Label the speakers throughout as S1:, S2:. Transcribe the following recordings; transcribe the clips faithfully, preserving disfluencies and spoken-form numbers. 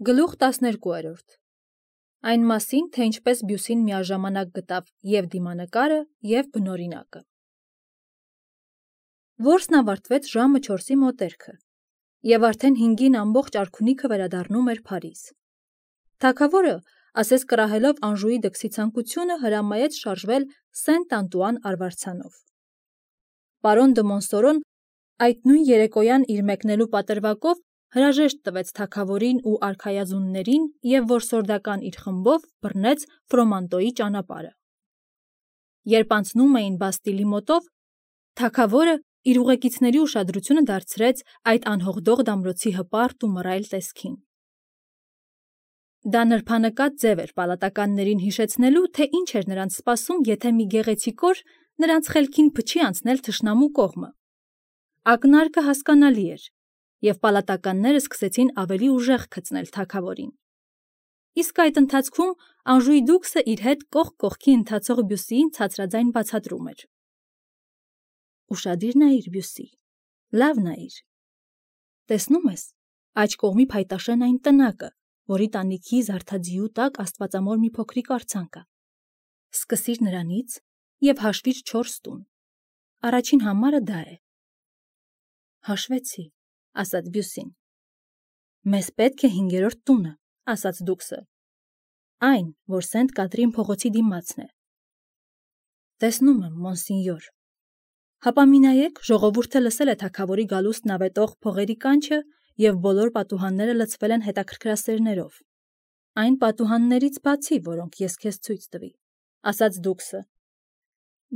S1: Գլուխ տասներկուերորդ Այն մասին, թե ինչպես Բյուսին միաժամանակ գտավ և դիմանկարը, և բնօրինակը։ Որսն ավարտվեց ժամը չորսի մոտերքը, և արդեն հինգին ամբողջ արքունիքը վերադառնում էր Փարիզ։ Թագավորը, ասես կռահելով Անժուի դքսի ցանկությունը, հրամայեց շարժվել Սենտ Անտուան արվարձանով։ Պարոն դը Մոնսորոն այդ նույն երեկոյան իր մեկնելու պատրվակով հրաժեշտ տվեց թագավորին ու արքայազուններին և որսորդական իր խմբով բռնեց Ֆրոմանտոյի ճանապարհը։ Երբ անցնում էին Բաստիլի մոտով, թագավորը իր ուղեկիցների ուշադրությունը դարձրեց այդ անհողդող դամրոցի հպարտ ու մռայլ տեսքին։ Դա նրբանկատ ձև էր պալատականներին հիշեցնելու, թե ինչ էր նրանց սպասում, եթե մի գեղեցիկ օր նրանց խելքին փչի անցնել թշնամու կողմը։ Ակնարկը հասկանալի էր, և պալատականները սկսեցին ավելի ուժեղ գծնել թագավորին։ Իսկ այդ ընթացքում Անժուի դուքսը իր հետ կողք կողքի ընթացող Բյուսիին ցածրաձայն բացատրում էր. «Ուշադիր նայիր, Բյուսի, լավ նայիր։ Տեսնում ես, աջ կողմի փայտաշեն այն տնակը, որի տանիքի զարդաձիու տակ աստվածամոր մի փոքրիկ արձան կա։ Սկսիր նրանից և հաշվիր չորս տուն։ Առաջին համարը դա է»։ Հաշվեցի, ասաց Բյուսին։ Մեզ պետք է հինգերորդ տունը, ասաց դուքսը, այն, որ Սենտ Կատրին փողոցի դիմացն է։ Տեսնում եմ, մոնսինյոր։ Հապա մի նայեք, ժողովուրդը լսել է թագավորի գալուստն ավետող փողերի կանչը, և բոլոր պատուհանները լցվել են հետաքրքրասերներով։ Այն պատուհաններից բացի, որոնք ես քեզ ցույց տվի, ասաց դուքսը։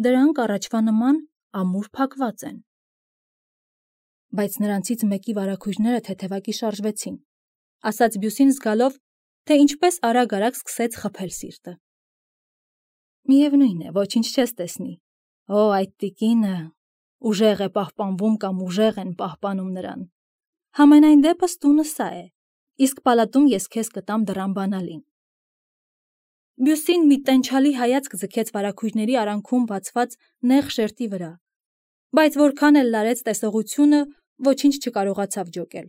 S1: Դրանք առաջվա նման ամուր փակված են։ Բայց նրանցից մեկի վարագույրները թեթևակի շարժվեցին, ասաց Բյուսին զգալով, թե ինչպես արագ-արագ սկսեց խփել սիրտը։ Միևնույն է, ոչինչ չես տեսնի։ Օ, այդ տիկինը ուժեղ է պահպանվում կամ ուժեղ են պահպանում նրան։ Համենայն դեպս տունը սա է, իսկ պալատում ես քեզ կտամ դռան բանալին։ Բյուսին մի տենչալի հայացք ձգեց վարագույրների արանքում բացված նեղ շերտի վրա, բայց որքան էլ լարեց տեսողությունը, ոչինչ չկարողացավ ջոկել։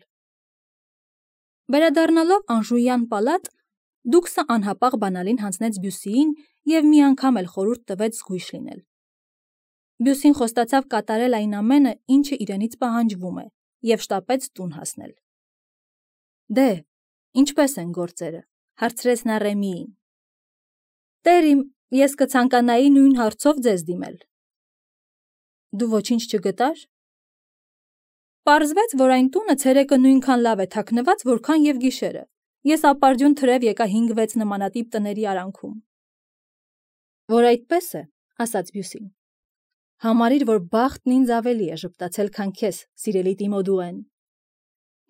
S1: Վերադառնալով Անժույան պալատ, դուքսը անհապաղ բանալին հանձնեց Բյուսիին և մի անգամ էլ խորհուրդ տվեց զգույշ լինել։ Բյուսին խոստացավ կատարել այն ամենը, ինչը իրենից պահանջվում է, և շտապեց տուն հասնել։ Դե, ինչպե՞ս են գործերը, հարցրեց նա Ռեմիին։ Տեր իմ, ես կցանկանայի նույն հարցով ձեզ դիմել։ Դու ոչինչ չգտար։ Պարզվեց, որ այն տունը ցերեկը նույնքան լավ է թաքնված, որքան և գիշերը։ Ես ապարդյուն թրև եկա հինգ-վեց նմանատիպ տների արանքում։ Որ այդպես է, ասաց Բյուսին։ Համարիր, որ բախտն ինձ ավելի է ժպտացել, քան քեզ, սիրելի Տիմոդուեն։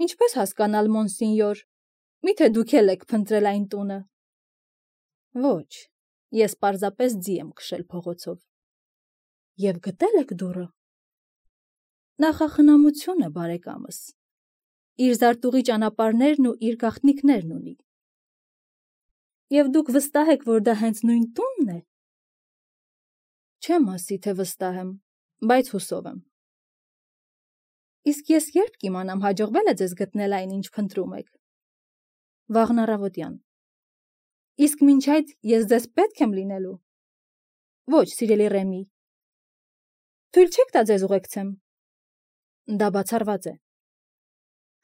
S1: Ինչպես հասկանալ, մոնսինյոր, միթե դուք էլ եք փնտրել այն տունը։ Ոչ, ես պարզապես ձի եմ քշել փողոցով։ Եվ գտե՞լ եք դուռը։ Նախախնամություն է, բարեկամս։ Իր զարտուղի ճանապարհներն ու իր գաղտնիքներն ունի։ Եվ դուք վստահ եք, որ դա հենց նույն տունն է։ Չեմ ասի, թե վստահ եմ, բայց հուսով եմ։ Իսկ ես երբ կիմանամ, հաջողվել է ձեզ գտնել այն, ինչ փնտրում եք։ Վաղն առավոտյան։ Իսկ մինչ այդ ես ձեզ պետք եմ լինելու։ Ոչ, սիրելի Ռեմի։ Թույլ չեք տա ձեզ ուղեկցեմ։ Դա բացառված է։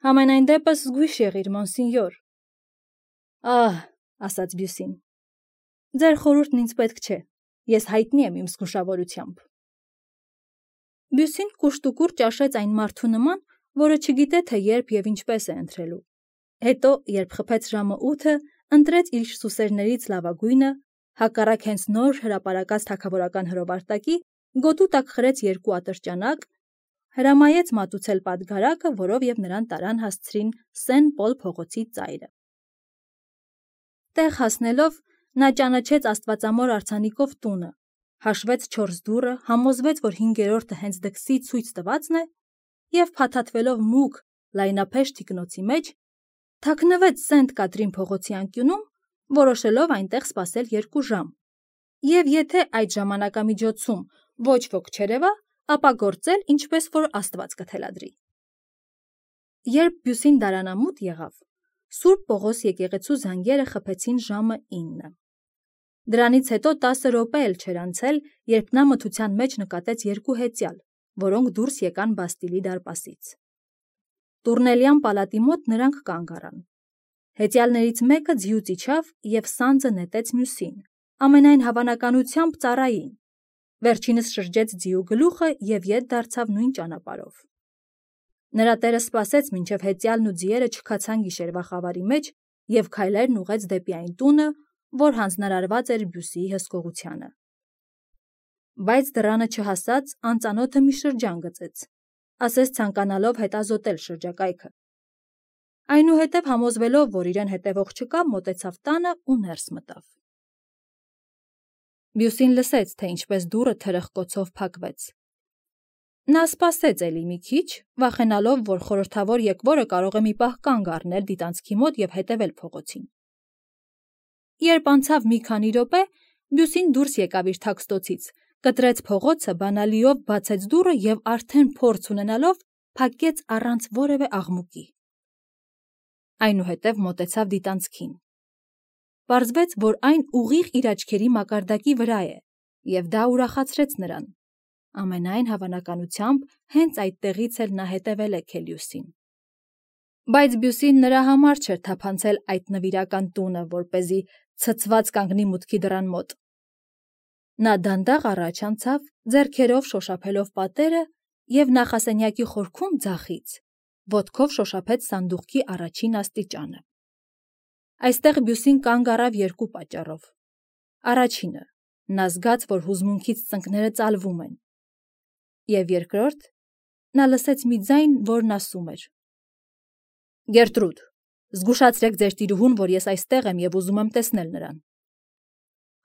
S1: Համենայն դեպս զգույշ եղիր, մոնսինյոր։ Ահ, ասաց Բյուսին։ Ձեր խորհուրդն ինձ պետք չէ։ Ես հայտնի եմ իմ զգուշավորությամբ։ Բյուսին կուշտուկուր ճաշեց այն մարդու նման, որը չգիտե, թե երբ և ինչպես է ընթրելու։ Հետո, երբ խփեց ժամը ութը, ընտրեց իր սուսերներից լավագույնը, հակառակ հենց նոր հրապարակած թագավորական հրովարտակի, գոտու տակ խրեց երկու ատրճանակ, հրամայեց մատուցել պատգարակը, որով և նրան տարան հասցրին Սեն Պոլ փողոցի ծայրը։ Տեղ հասնելով, նա ճանաչեց աստվածամոր արձանիկով տունը, հաշվեց չորս դուռը, համոզվեց, որ հինգերորդը հենց դքսի ցույց տվածն է, և փաթաթվելով մուգ, լայնափեշ թիկնոցի մեջ, թաքնվեց Սենտ Կատրին փողոցի անկյունում, որոշելով այնտեղ սպասել երկու ժամ, և եթե այդ ժամանակամիջոցում ոչ ոք չերևա, ապա գործել, ինչպես որ Աստված կթելադրի։ Երբ Բյուսին դարանամուտ եղավ, Սուրբ Պողոս եկեղեցու զանգերը խփեցին ժամը ինը։ Դրանից հետո տասը րոպե էլ չէր անցել, երբ նա մթության մեջ նկատեց երկու հեծյալ, որոնք դուրս եկան Բաստիլի դարպասից։ Տուրնելյան պալատի մոտ նրանք կանգ առան։ Հեծյալներից մեկը ձիուց իջավ և սանձը նետեց մյուսին, ամենայն հավանականությամբ ծառային։ Վերջինս շրջեց ձիու գլուխը և ետ դարձավ նույն ճանապարհով։ Նրա տերը սպասեց, մինչև հեծյալն ու ձիերը չքացան գիշերվա խավարի մեջ և քայլերն ուղղեց դեպի այն տունը, որ հանձնարարված էր Բյուսիի հսկողությանը։ Բայց դռանը չհասած, անծանոթը մի շրջան գծեց, ասես ցանկանալով հետազոտել շրջակայքը։ Այնուհետև համոզվելով, որ իրեն հետևող չկա, մոտեցավ տանը ու ներս մտավ։ Բյուսին լսեց, թե ինչպես դուռը թրխկոցով փակվեց։ Նա սպասեց էլի մի քիչ, վախենալով, որ խորհրդավոր եկվորը կարող է մի պահ կանգ առնել դիտանցքի մոտ և հետևել փողոցին։ Երբ անցավ մի քանի րոպե, Բյուսին դուրս եկավ իր թաքստոցից, կտրեց փողոցը, բանալիով բացեց դուռը և արդեն փորձ ունենալով փակեց առանց որևէ աղմուկի։ Այնուհետև մոտեցավ դիտանցքին։ Պարզվեց, որ այն ուղիղ իր աչքերի մակարդակի վրա է, և դա ուրախացրեց նրան։ Ամենայն հավանականությամբ հենց այդտեղից էլ նա հետևել է Քելիուսին։ Բայց Բյուսին նրա համար չէր թափանցել այդ նվիրական տունը, որպեսզի ցցված կանգնի մուտքի դռան մոտ։ Նա դանդաղ առաջ անցավ, ձեռքերով շոշափելով պատերը և նախասենյակի խորքում ձախից, ոտքով շոշափեց սանդուղքի առաջին աստիճանը։ Այստեղ Բյուսին կանգ առավ երկու պատճառով։ Առաջինը, նա զգաց, որ հուզմունքից ծնկները ծալվում են։ Եվ երկրորդ, նա լսեց մի ձայն, որն ասում էր. Գերտրուդ, զգուշացրեք ձեր տիրուհուն, որ ես այստեղ եմ և ուզում եմ տեսնել նրան։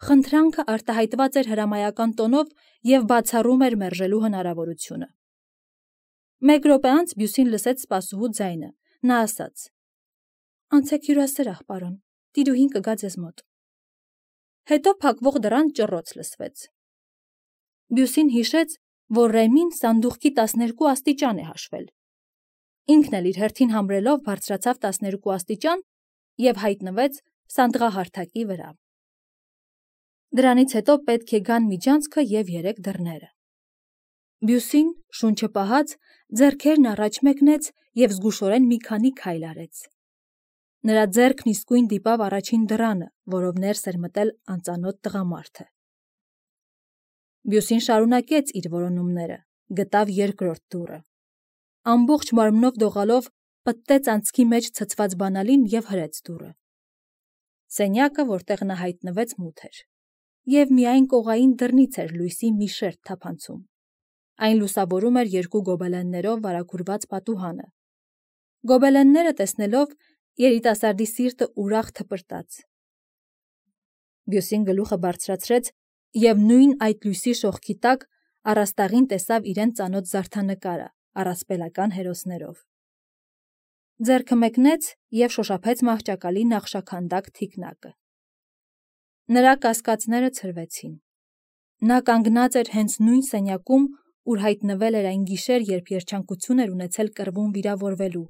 S1: Խնդրանքը արտահայտված էր հրամայական տոնով և բացառում էր մերժելու հնարավորությունը։ Մեկ րոպե անց Բյուսին լսեց սպասուհու ձայնը։ Նա ասաց. Անցեք հյուրասրահ, պարոն, տիրուհին կգա ձեզ մոտ։ Հետո փակվող դռան ճռռոց լսվեց։ Բյուսին հիշեց, որ Ռեմին սանդուղքի տասներկու աստիճան է հաշվել։ Ինքն էլ իր հերթին համրելով բարձրացավ տասներկու աստիճան և հայտնվեց սանդղահարթակի վրա։ Դրանից հետո պետք է գան միջանցքը և երեք դռները։ Բյուսին, շունչը պահած, ձեռքերն առաջ մեկնեց և զգուշորեն մի քանի քայլ արեց։ Նրա ձեռքն իսկույն դիպավ առաջին դռանը, որով ներս էր մտել անծանոթ տղամարդը։ Բյուսին շարունակեց իր որոնումները, գտավ երկրորդ դուռը։ Ամբողջ մարմնով դողալով պտտեց անցքի մեջ ցցված բանալին և հրեց դուռը։ Սենյակը, որտեղ նա հայտնվեց, մութ էր, և միայն կողային դռնից էր լույսի մի շերտ թափանցում։ Այն լուսավորում էր երկու գոբելեններով վարագուրված պատուհանը։ Գոբելենները տեսնելով, երիտասարդի սիրտը ուրախ թպրտաց։ Բյուսին գլուխը բարձրացրեց և նույն այդ լույսի շողքի տակ առաստաղին տեսավ իրեն ծանոթ զարդանկարը առասպելական հերոսներով։ Ձեռքը մեկնեց և շոշափեց մահճակալի նախշաքանդակ թիկնակը։ Նրա կասկածները ցրվեցին։ Նա կանգնած էր հենց նույն սենյակում, ուր հայտնվել էր այն գիշեր, երբ երջանկություն էր ունեցել կռվում վիրավորվելու։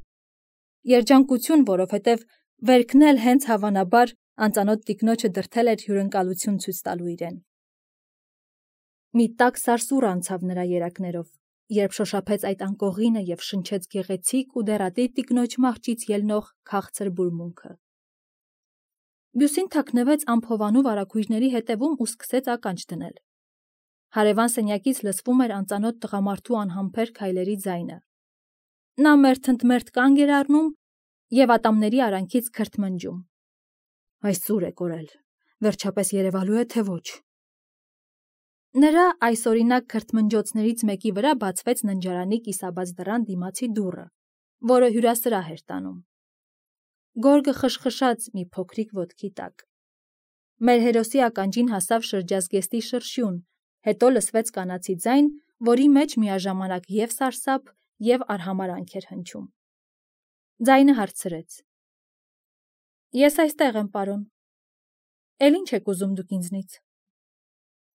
S1: Երջանկություն, որովհետև վերքն էլ հենց հավանաբար անծանոթ տիկնոջը դրդել էր հյուրընկալություն ցույց տալու իրեն։ Մի տաք սարսուռ անցավ նրա երակներով, երբ շոշափեց այդ անկողինը և շնչեց գեղեցիկ ու դեռատի տիկնոջ մահճից ելնող քաղցր բուրմունքը։ Բյուսին թաքնվեց ամփովանու վարագույրների հետևում ու սկսեց ականջ դնել։ Հարևան սենյակից լսվում էր անծանոթ տղամարդու անհամբեր քայլերի ձայնը։ Նա մերթընդմերթ կանգ էր առնում և ատամների արանքից քրթմնջում։ Այս ծուր է կորել, վերջապես երևալու է, թե ոչ։ Նրա այսօրինակ քրթմնջոցներից մեկի վրա բացվեց ննջարանի կիսաբաց դռան դիմացի դուռը, որը հյուրասրահ էր տանում։ Գորգը խշխշաց մի փոքրիկ ոտքի տակ։ Մեր հերոսի ականջին հասավ շրջազգեստի շրշյուն, հետո լսվեց կանացի ձայն, որի մեջ միաժամանակ և սարսափ, և արհամարանք էր հնչում։ Ձայնը հարցրեց. Ես այստեղ եմ, պարոն։ Էլ ինչ եք ուզում դուք ինձնից։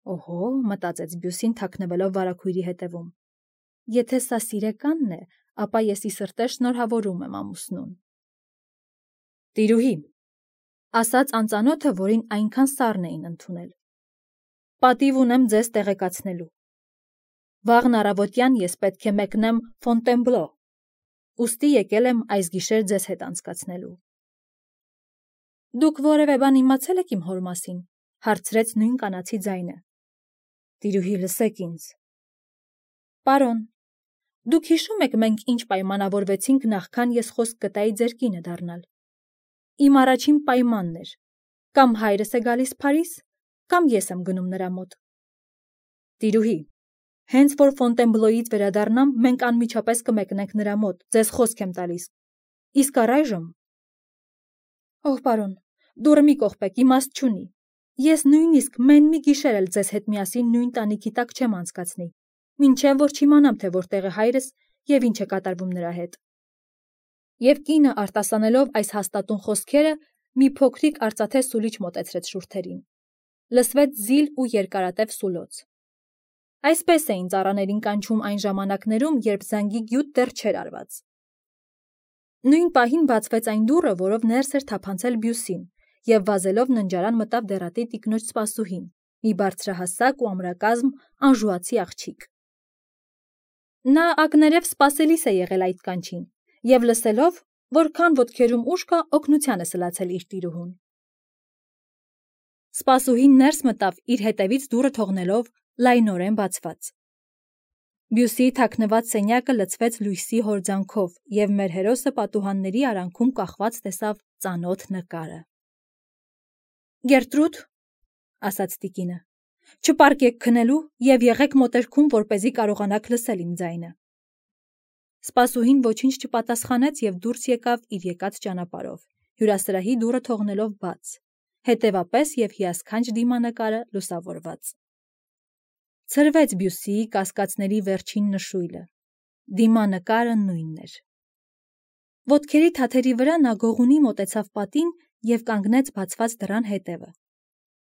S1: Օհո, մտածեց Բյուսին, թաքնվելով վարագույրի հետևում։ Եթե սա սիրեկանն է, ապա ես ի սրտե շնորհավորում եմ ամուսնուն։ Տիրուհի, ասաց անծանոթը, որին այնքան սառն էին ընդունել. պատիվ ունեմ ձեզ տեղեկացնելու։ Վաղն առավոտյան ես պետք է մեկնեմ Ֆոնտենբլո, ուստի եկել եմ այս գիշեր ձեզ հետ անցկացնելու։ Դուք որևէ բան իմացել եք իմ հոր մասին, հարցրեց նույն կանացի ձայնը։ Տիրուհի, լսեք ինձ։ Պարոն, դուք հիշում եք մենք ինչ պայմանավորվեցինք նախքան ես խոսք գտայի ձեր կինը դառնալ։ Իմ առաջին պայմանն էր, կամ հայրս է գալիս Փարիզ, կամ ես եմ գնում նրա մոտ։ Տիրուհի, հենց որ Ֆոնտենբլոյից վերադառնամ, մենք անմիջապես կմեկնենք նրա մոտ, ձեզ խոսք եմ տալիս։ Իսկ առայժմ… Ով պարոն, դուռը մի կողպեք, իմաստ չունի։ Ես նույնիսկ մեն մի գիշեր էլ ձեզ հետ միասին նույն տանիքի տակ չեմ անցկացնի, մինչև որ չիմանամ, թե որտեղ է հայրս և ինչ է կատարվում նրա հետ։ Եվ կինը արտասանելով այս հաստատուն խոսքերը, մի փոքրիկ արծաթե սուլիչ մոտեցրեց շուրթերին։ Լսվեց զիլ ու երկարատև սուլոց։ Այսպես էին ծառաներին կանչում այն ժամանակներում, երբ զանգի գյուտ դեռ չէր արված։ Նույն պահին բացվեց այն դուռը, որով ներս էր թափանցել Բյուսին, և վազելով ննջարան մտավ դեռատի տիկնոջ սպասուհին, մի բարձրահասակ ու ամրակազմ անժուացի աղջիկ։ Նա ակներև սպասելիս է եղել այդ կանչին, և լսելով, որքան ոտքերում ուժ կա, օգնության է սլացել իր տիրուհուն։ Սպասուհին ներս մտավ իր հետևից դուռը թողնելով լայնորեն բացված։ Բյուսիի թաքնված սենյակը լցվեց լույսի հորձանքով, և մեր հերոսը պատուհանների արանքում կախված տեսավ ծանոթ նկարը։ Գերտրուդ, ասաց տիկինը, չպարկեք քնելու և եղեք մոտերքում, որպեսզի կարողանաք լսել իմ ձայնը։ Սպասուհին ոչինչ չպատասխանեց և դուրս եկավ իր եկած ճանապարհով, հյուրասրահի դուռը թողնելով բաց, հետևապես և հիասքանչ դիմանկարը լուսավորված։ Ցրվեց Բյուսիի կասկածների վերջին նշույլը։ Դիմանկարը նույնն էր։ Ոտքերի թաթերի վրա նա գողունի մոտեցավ պատին և կանգնեց բացված դռան հետևը,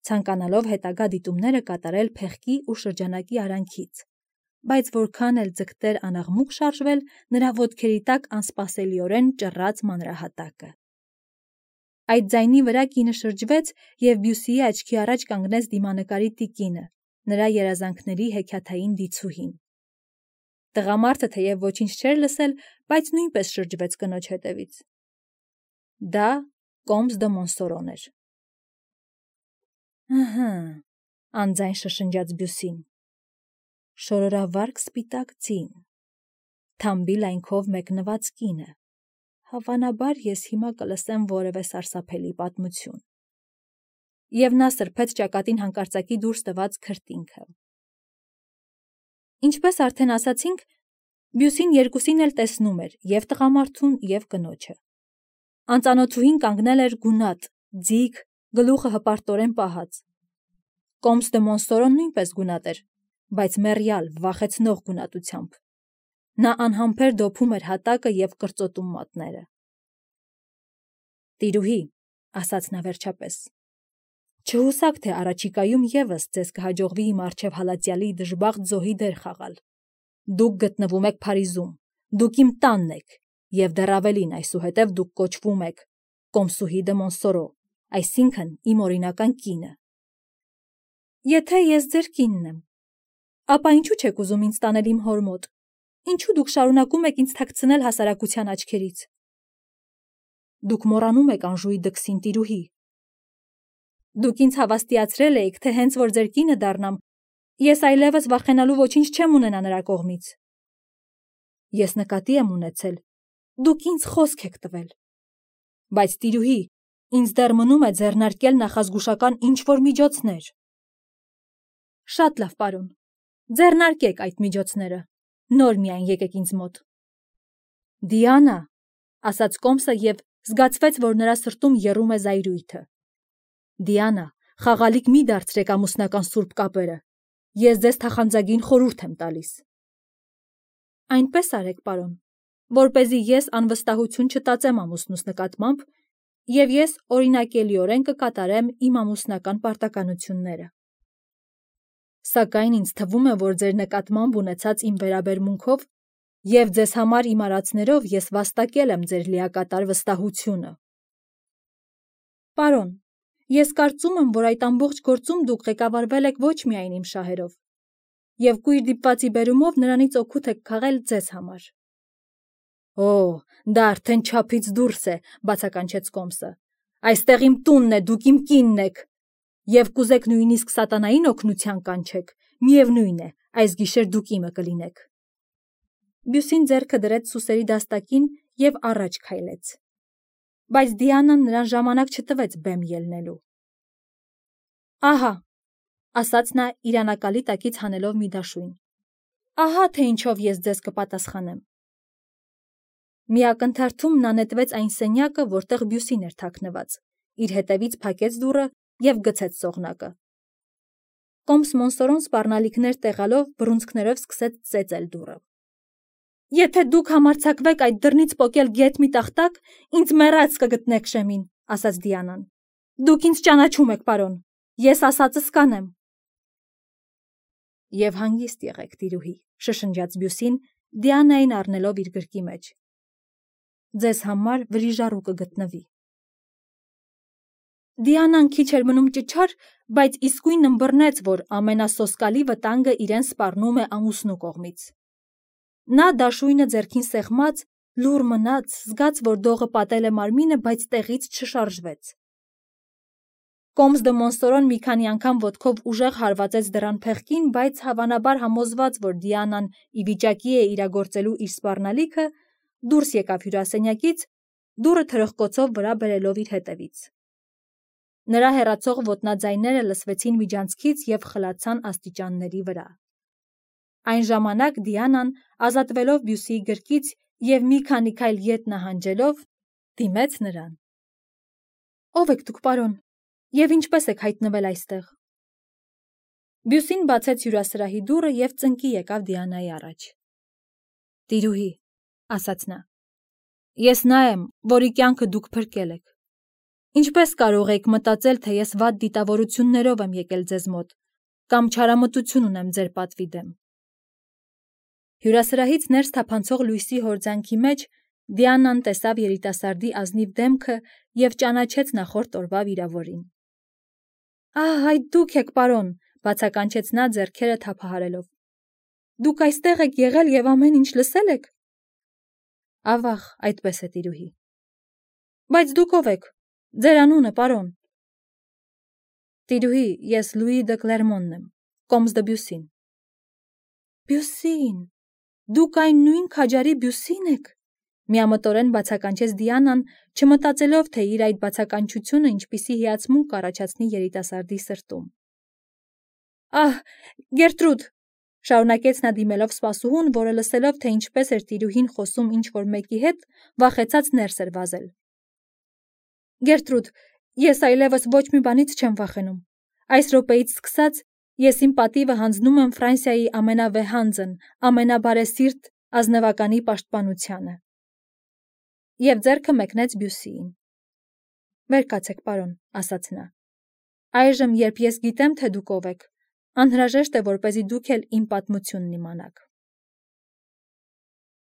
S1: ցանկանալով հետագա դիտումները կատարել փեղկի ու շրջանակի արանքից, բայց որքան էլ ձգտեր անաղմուկ շարժվել, նրա ոտքերի տակ անսպասելիորեն ճռռաց մանրահատակը։ Այդ ձայնի վրա կինը շրջվեց, և Բյուսիի աչքի առաջ կանգնեց դիմանկարի տիկինը, նրա երազանքների հեքիաթային դիցուհին։ Տղամարդը թեև ոչինչ չէր լսել, բայց նույնպես շրջվեց կնոջ հետևից։ Դա Կոմս դը Մոնսորոն էր։ Ըհը, անձայն շշնջաց Բյուսին։ Շորորավարկ սպիտակ ձին, թամբի լայնքով մեկնված կինը, հավանաբար ես հիմա կլսեմ որևէ սարսափելի պատմություն։ Եվ նա սրբեց ճակատին հանկարծակի դուրս տված քրտինքը։ Ինչպես արդեն ասացինք, Բյուսին երկուսին էլ տեսնում էր և տղամարդուն, և կնոջը։ Անծանոթուհին կանգնել էր գունատ, ձիգ, գլուխը հպարտորեն պահած։ Կոմս դը Մոնսորոն նույնպես գունատ էր, բայց մեռյալ, վախեցնող գունատությամբ։ Նա անհամբեր դոփում էր հատակը և կրծոտում մատները։ Տիրուհի, ասաց նա վերջապես, չհուսաք, թե առաջիկայում ևս ձեզ կհաջողվի իմ առջև հալածյալի դժբախտ զոհի դեր խաղալ։ Դուք գտնվում եք Փարիզում, դուք իմ տանն եք, և դեռ ավելին, այսուհետև դուք կոչվում եք Կոմսուհի դը Մոնսորո, այսինքն իմ օրինական կինը։ Եթե ես ձեր կինն եմ, ապա ինչու չեք ուզում ինձ տանել իմ հոր մոտ, ինչու դուք շարունակում եք ինձ թաքցնել հասարակության աչքերից։ Դուք մոռանում եք Անժուի դքսին, տիրուհի։ Դուք ինձ հավաստիացրել էիք, թե հենց որ ձեր կինը դառնամ, ես այլևս վախենալու ոչինչ չեմ ունենա նրա կողմից։ Ես նկատի եմ ունեցել, դուք ինձ խոսք եք տվել։ Բայց տիրուհի, ինձ դեռ մնում է ձեռնարկել նախազգուշական ինչ-որ միջոցներ։ Շատ լավ, պարոն, ձեռնարկեք այդ միջոցները, նոր միայն եկեք ինձ մոտ։ Դիանա, ասաց Կոմսը և զգացվեց, որ նրա սրտում եռում է զայրույթը։ Դիանա, խաղալիք մի դարձրեք ամուսնական սուրբ կապերը։ Ես ձեզ թախանձագին խորհուրդ եմ տալիս։ Այնպես արեք, պարոն, որպեսզի ես անվստահություն չտածեմ ամուսնուս նկատմամբ, և ես օրինակելիորեն կկատարեմ իմ ամուսնական պարտականությունները։ Սակայն ինձ թվում է, որ ձեր նկատմամբ ունեցած իմ վերաբերմունքով և ձեզ համար իմ արածներով ես վաստակել եմ ձեր լիակատար վստահությունը։ Պարոն, ես կարծում եմ, որ այդ ամբողջ գործում դուք ղեկավարվել եք ոչ միայն իմ շահերով, և կույր դիպվածի բերումով նրանից օգուտ եք քաղել ձեզ համար։ Օ, դա արդեն չափից դուրս է, բացականչեց Կոմսը։ Այստեղ իմ տունն է, դուք իմ կինն եք, և կուզեք նույնիսկ սատանային օգնության կանչեք, միևնույն է, այս գիշեր դուք իմը կլինեք։ Բյուսին ձեռքը դրեց սուսերի դաստակին և առաջ քայլեց։ Բայց Դիանան նրան ժամանակ չտվեց բեմ ելնելու։ Ահա, ասաց նա իր անակալի տակից հանելով մի դաշույն։ Ահա թե ինչով ես ձեզ կպատասխանեմ։ Մի ակնթարթում նա նետվեց այն սենյակը, որտեղ Բյուսին էր թաքնված, իր հետևից փակեց դուռը և գցեց սողնակը։ Կոմս Մոնսորոն սպառնալիքներ տեղալով բռունցքներով սկսեց ծեծել դուռը։ Եթե դուք համարձակվեք այդ դռնից պոկել գեթ մի տախտակ, ինձ մեռած կգտնեք շեմին, ասաց Դիանան։ Դուք ինձ ճանաչում եք, պարոն, ես ասածս կանեմ։ Եվ հանգիստ եղեք, տիրուհի, շշնջաց Բյուսին, Դիանային առնելով իր գրկի մեջ։ Ձեզ համար վրիժառու կգտնվի։ Դիանան քիչ էր մնում ճչար, բայց իսկույն ըմբռնեց, որ ամենասոսկալի վտանգը իրեն սպառնում է ամուսնու կողմից։ Նա դաշույնը ձեռքին սեղմած, լուռ մնաց, զգաց, որ դողը պատել է մարմինը, բայց տեղից չշարժվեց։ Կոմս դը Մոնսորոն մի քանի անգամ ոտքով ուժեղ հարվածեց դռան փեղկին, բայց հավանաբար համոզված, որ Դիանան ի վիճակի է իրագործելու իր սպառնալիքը, դուրս եկավ հյուրասենյակից, դուռը թրխկոցով վրա բերելով իր հետևից։ Նրա հեռացող ոտնաձայները լսվեցին միջանցքից և խլացան աստիճանների վրա։ Այն ժամանակ Դիանան, ազատվելով Բյուսիի գրկից և մի քանի քայլ ետ նահանջելով, դիմեց նրան։ Ո՞վ եք դուք, պարոն, և ինչպես եք հայտնվել այստեղ։ Բյուսին բացեց հյուրասրահի դուռը և ծնկի եկավ Դիանայի առաջ։ Տիրուհի, ասաց նա, ես նա եմ, որի կյանքը դուք փրկել եք։ Ինչպես կարող եք մտածել, թե ես վատ դիտավորություններով եմ եկել ձեզ մոտ, կամ չարամտություն ունեմ ձեր պատվի դեմ։ Հյուրասրահից ներս թափանցող լույսի հորձանքի մեջ Դիանան տեսավ երիտասարդի ազնիվ դեմքը և ճանաչեց նախորդ օրվա վիրավորին։ Ահ, այդ դուք եք, պարոն, բացականչեց նա ձեռքերը թափահարելով։ Դուք այստեղ եք եղել և ամեն ինչ լսել եք։ Ավաղ, այդպես է, տիրուհի։ Բայց դուք ով եք, ձեր անունը, պարոն։ Տիրուհի, ես Լուի դը Կլերմոնն եմ, Կոմս դը Բյուսին։ Բյուսին, դուք այն նույն քաջարի Բյուսին եք, միամտորեն բացականչեց Դիանան, չմտածելով, թե իր այդ բացականչությունը ինչպիսի հիացմունք կառաջացնի երիտասարդի սրտում։ Ահ, Գերտրուդ, շարունակեց նա դիմելով սպասուհուն, որը լսելով, թե ինչպես էր տիրուհին խոսում ինչ-որ մեկի հետ, վախեցած ներս էր վազել։ Գերտրուդ, ես այլևս ոչ մի բանից չեմ վախենում։ Այս րոպեից սկսած ես իմ պատիվը հանձնում եմ Ֆրանսիայի ամենավեհանձն, ամենաբարեսիրտ ազնվականի պաշտպանությանը։ Եվ ձեռքը մեկնեց Բյուսիին։ Վեր կացեք, պարոն, ասաց նա։ Այժմ, երբ ես գիտեմ, թե դուք ով եք, անհրաժեշտ է, որպեսզի դուք էլ իմ պատմությունն իմանաք։